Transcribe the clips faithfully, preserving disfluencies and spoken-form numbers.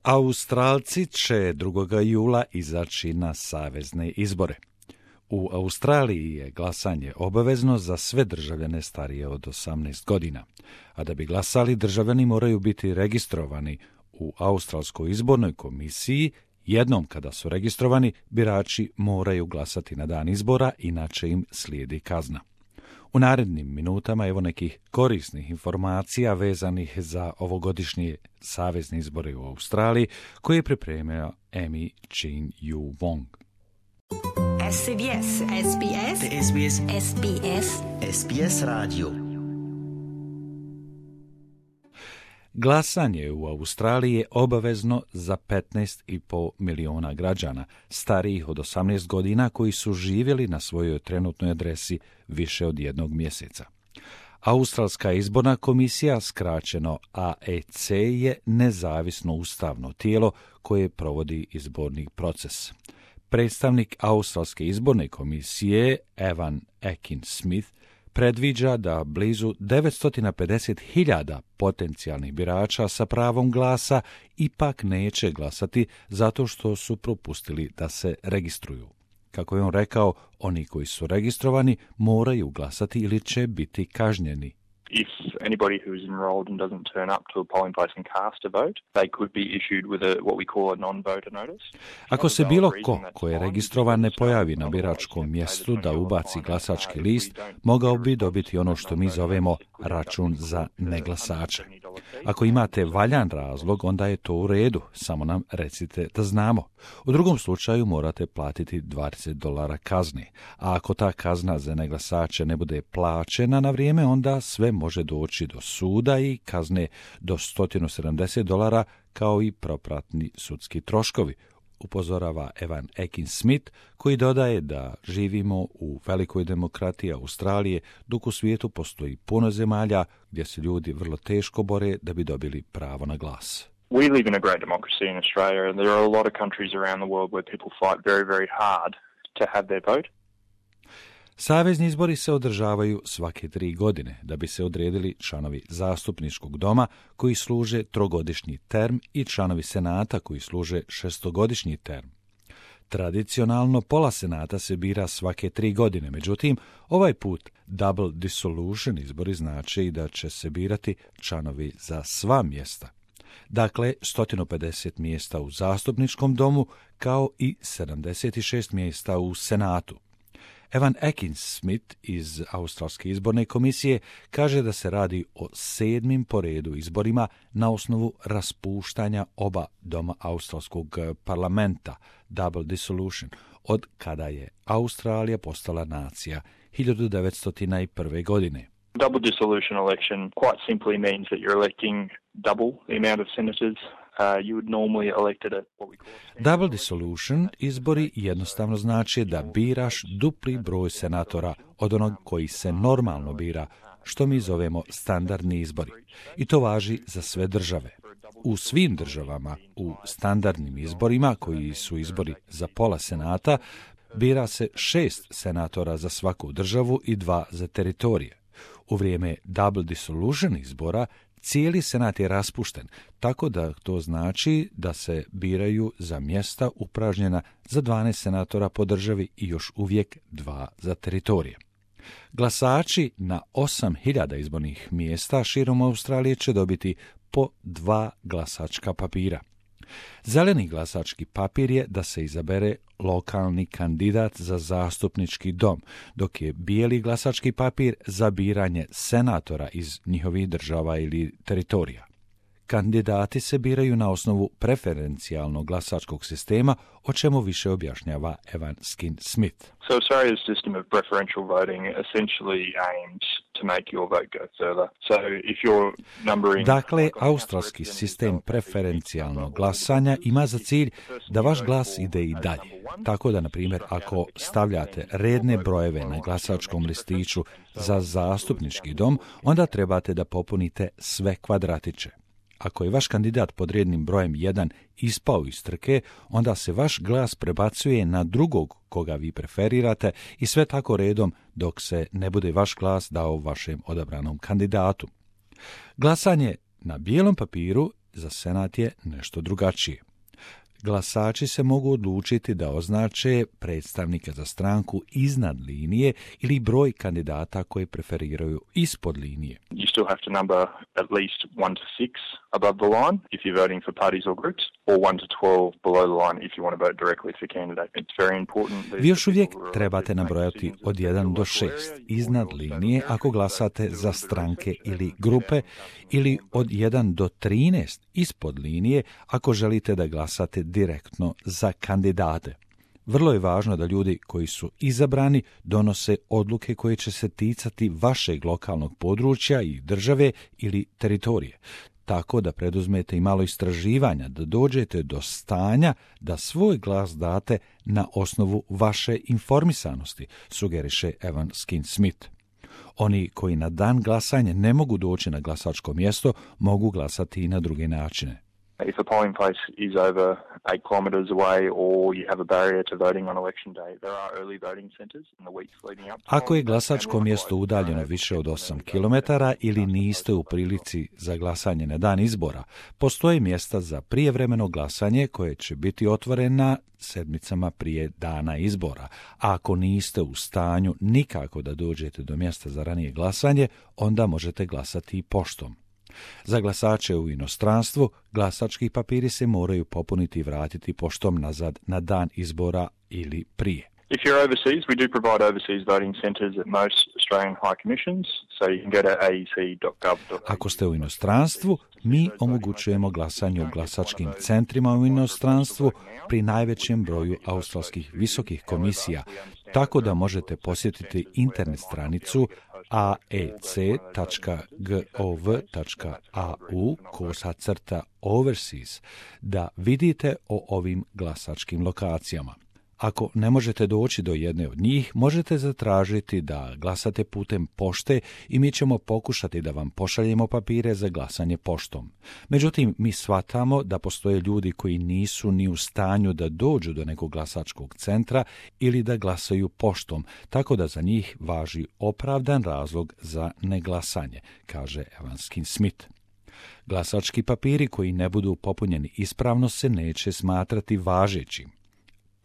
Australci će drugog jula izaći na savezne izbore. U Australiji je glasanje obavezno za sve državljane starije od osamnaest godina, a da bi glasali državljani moraju biti registrovani u Australskoj izbornoj komisiji. Jednom kada su registrovani, birači moraju glasati na dan izbora, inače im slijedi kazna. U narednim minutama evo nekih korisnih informacija vezanih za ovogodišnje savezne izbore u Australiji, koje je pripremio Amy Chin Yu Wong. S B S, S B S, S B S, S B S, S B S radio. Glasanje u Australiji je obavezno za petnaest i pol miliona građana starijih od osamnaest godina koji su živjeli na svojoj trenutnoj adresi više od jednog mjeseca. Australska izborna komisija, skraćeno A E C, je nezavisno ustavno tijelo koje provodi izborni proces. Predstavnik Australske izborne komisije Evan Akin-Smith predviđa da blizu devetsto pedeset hiljada potencijalnih birača sa pravom glasa ipak neće glasati zato što su propustili da se registruju. Kako je on rekao, oni koji su registrovani moraju glasati ili će biti kažnjeni. If anybody who's enrolled and doesn't turn up to a polling place and cast a vote, they could be issued with a what we call a non-voter notice. Ako se bilo ko ko je registrovan ne pojavi na biračkom mjestu da ubaci glasački list, mogao bi dobiti ono što mi zovemo račun za neglasače. Ako imate valjan razlog, onda je to u redu, samo nam recite da znamo. U drugom slučaju morate platiti dvadeset dolara kazne, a ako ta kazna za neglasače ne bude plaćena na vrijeme, onda sve može doći do suda i kazne do sto sedamdeset dolara, kao i propratni sudski troškovi, upozorava Evan Akin-Smith, koji dodaje da živimo u velikoj demokratiji Australije, dok u svijetu postoji puno zemalja gdje se ljudi vrlo teško bore da bi dobili pravo na glas. We live in a great democracy in Australia, and there are a lot of countries around the world where people fight very, very hard to have their vote. Savezni izbori se održavaju svake tri godine da bi se odredili članovi zastupničkog doma koji služe trogodišnji term i članovi senata koji služe šestogodišnji term. Tradicionalno pola senata se bira svake tri godine, međutim, ovaj put double dissolution izbori znači da će se birati članovi za sva mjesta. Dakle, sto pedeset mjesta u zastupničkom domu kao i sedamdeset šest mjesta u senatu. Evan Akin-Smith iz Australske izborne komisije kaže da se radi o sedmim po redu izborima na osnovu raspuštanja oba doma Australskog parlamenta, double dissolution, od kada je Australija postala nacija hiljadu devetsto prve. godine. Double dissolution election quite simply means that you're electing double the amount of senators Uh, you would normally elected at what we call Double dissolution izbori jednostavno znači da biraš dupli broj senatora od onog koji se normalno bira, što mi zovemo standardni izbori. I to važi za sve države. U svim državama, u standardnim izborima, koji su izbori za pola senata, bira se šest senatora za svaku državu i dva za teritorije. U vrijeme double dissolution izbora cijeli senat je raspušten, tako da to znači da se biraju za mjesta upražnjena za dvanaest senatora po državi i još uvijek dva za teritorije. Glasači na osam hiljada izbornih mjesta širom Australije će dobiti po dva glasačka papira. Zeleni glasački papir je da se izabere lokalni kandidat za zastupnički dom, dok je bijeli glasački papir za biranje senatora iz njihovih država ili teritorija. Kandidati se biraju na osnovu preferencijalnog glasačkog sistema, o čemu više objašnjava Evan Akin-Smith. So Australia's system of preferential voting essentially aims to make your vote go further. So if you're numbering... Dakle, australski sistem preferencijalnog glasanja ima za cilj da vaš glas ide i dalje. Tako da, na primjer, ako stavljate redne brojeve na glasačkom listiću za zastupnički dom, onda trebate da popunite sve kvadratiće. Ako je vaš kandidat pod rednim brojem jedan ispao iz trke, onda se vaš glas prebacuje na drugog koga vi preferirate i sve tako redom dok se ne bude vaš glas dao vašem odabranom kandidatu. Glasanje na bijelom papiru za senat je nešto drugačije. Glasači se mogu odlučiti da označe predstavnika za stranku iznad linije ili broj kandidata koje preferiraju ispod linije. You still have to number at least one to six above the line if you're voting for parties or groups, or one to twelve below the line if you want to vote directly for candidate. It's very important. Vi još uvijek trebate nabrojati od jedan do šest iznad linije ako glasate za stranke ili grupe, ili od jedan do trinaest ispod linije ako želite da glasate direktno za kandidate. Vrlo je važno da ljudi koji su izabrani donose odluke koje će se ticati vašeg lokalnog područja i države ili teritorije. Tako da preduzmete i malo istraživanja, da dođete do stanja da svoj glas date na osnovu vaše informisanosti, sugeriše Evan Skin Smith. Oni koji na dan glasanja ne mogu doći na glasačko mjesto, mogu glasati i na druge načine. If a polling place is over eight kilometres away or you have a barrier to voting on election day, there are early voting centres in the weeks leading up. Ako je glasačko mjesto udaljeno više od osam kilometara ili niste u prilici za glasanje na dan izbora, postoje mjesta za prijevremeno glasanje koje će biti otvorena sedmicama prije dana izbora. A ako niste u stanju nikako da dođete do mjesta za ranije glasanje, onda možete glasati i poštom. Za glasače u inostranstvu, glasački papiri se moraju popuniti i vratiti poštom nazad na dan izbora ili prije. If you're overseas, we do provide overseas voting centres at most Australian High Commissions, so you can go to a e c dot gov dot a u. Ako ste u inostranstvu, mi omogućujemo glasanje u glasačkim centrima u inostranstvu pri najvećem broju australskih visokih komisija, tako da možete posjetiti internet stranicu a e c dot gov dot a u kosa crta overseas da vidite o ovim glasačkim lokacijama. Ako ne možete doći do jedne od njih, možete zatražiti da glasate putem pošte i mi ćemo pokušati da vam pošaljemo papire za glasanje poštom. Međutim, mi shvatamo da postoje ljudi koji nisu ni u stanju da dođu do nekog glasačkog centra ili da glasaju poštom, tako da za njih važi opravdan razlog za neglasanje, kaže Evan Skin Smith. Glasački papiri koji ne budu popunjeni ispravno se neće smatrati važećim.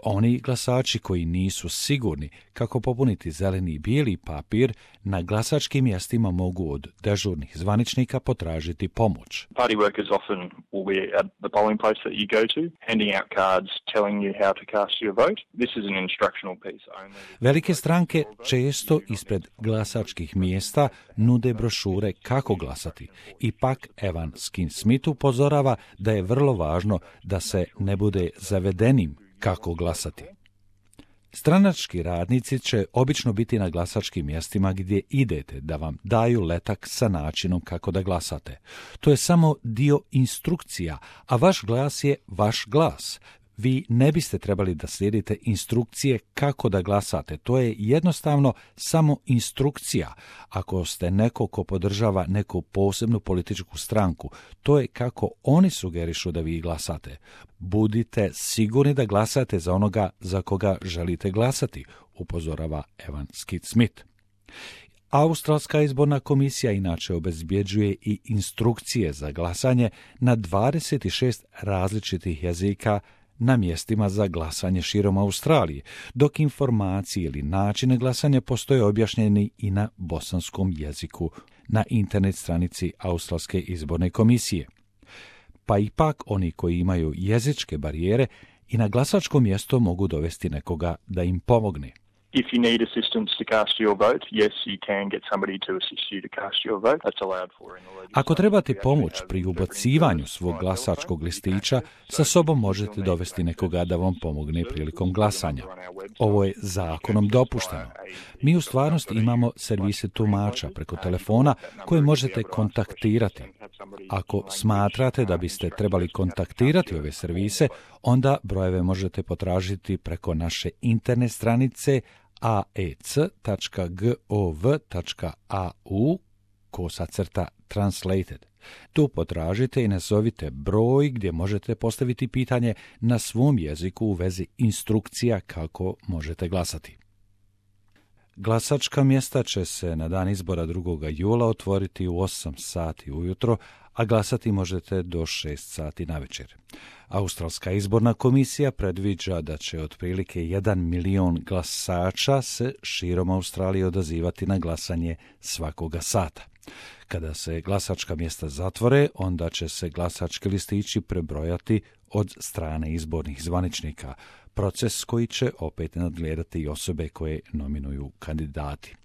Oni glasači koji nisu sigurni kako popuniti zeleni i bijeli papir, na glasačkim mjestima mogu od dežurnih zvaničnika potražiti pomoć. Party workers often will be at the polling place that you go to, handing out cards telling you how to cast your vote. This is an instructional piece only. Velike stranke često ispred glasačkih mjesta nude brošure kako glasati. Ipak Evan Skin Smith upozorava da je vrlo važno da se ne bude zavedenim kako glasati. Stranački radnici će obično biti na glasačkim mjestima gdje idete da vam daju letak sa načinom kako da glasate. To je samo dio instrukcija, a vaš glas je vaš glas. Vi ne biste trebali da slijedite instrukcije kako da glasate. To je jednostavno samo instrukcija. Ako ste neko ko podržava neku posebnu političku stranku, to je kako oni sugerišu da vi glasate. Budite sigurni da glasate za onoga za koga želite glasati, upozorava Evan Skin Smith. Australska izborna komisija inače obezbjeđuje i instrukcije za glasanje na dvadeset šest različitih jezika na mjestima za glasanje širom Australije, dok informacije ili načine glasanja postoje objašnjeni i na bosanskom jeziku na internet stranici Australske izborne komisije. Pa ipak oni koji imaju jezičke barijere i na glasačko mjesto mogu dovesti nekoga da im pomogne. If you need assistance to cast your vote, yes, you can get somebody to assist you to cast your vote. That's allowed for in the legislation. Ako trebate pomoć pri ubacivanju svog glasačkog listića, sa sobom možete dovesti nekoga da vam pomogne prilikom glasanja. Ovo je zakonom dopušteno. Mi u stvarnosti imamo servise tumača preko telefona koje možete kontaktirati. Ako smatrate da biste trebali kontaktirati ove servise, onda brojeve možete potražiti preko naše internet stranice a e c dot gov dot a u kosa crta translated. Tu potražite i nazovite broj gdje možete postaviti pitanje na svom jeziku u vezi instrukcija kako možete glasati. Glasačka mjesta će se na dan izbora drugog jula otvoriti u osam sati ujutro, a glasati možete do šest sati navečer. Australska izborna komisija predviđa da će otprilike jedan milion glasača se širom Australije odazivati na glasanje svakoga sata. Kada se glasačka mjesta zatvore, onda će se glasački listići prebrojati od strane izbornih zvaničnika, proces koji će opet nadgledati i osobe koje nominuju kandidati.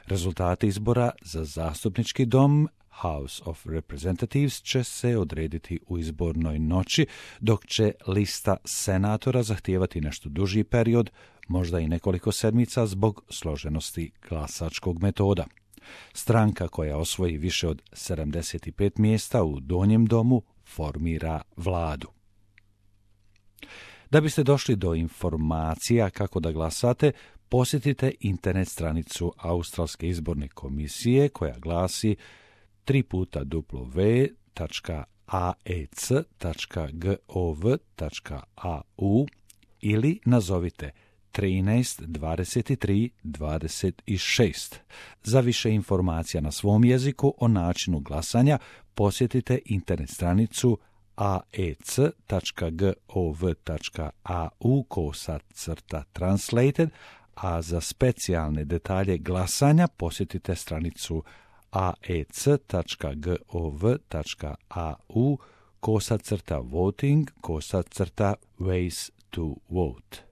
Rezultati izbora za zastupnički dom House of Representatives će se odrediti u izbornoj noći, dok će lista senatora zahtijevati nešto duži period, možda i nekoliko sedmica zbog složenosti glasačkog metoda. Stranka koja osvoji više od sedamdeset pet mjesta u donjem domu formira vladu. Da biste došli do informacija kako da glasate, posjetite internet stranicu Australske izborne komisije koja glasi tri puta w tačka a e c tačka gov tačka a u ili nazovite trinaest dvadeset tri dvadeset šest. Za više informacija na svom jeziku o načinu glasanja posjetite internet stranicu a e c tačka gov tačka a u kosa crta translated, a za specijalne detalje glasanja posjetite stranicu a e c tačka gov tačka a u kosa crta voting kosa crta ways to vote.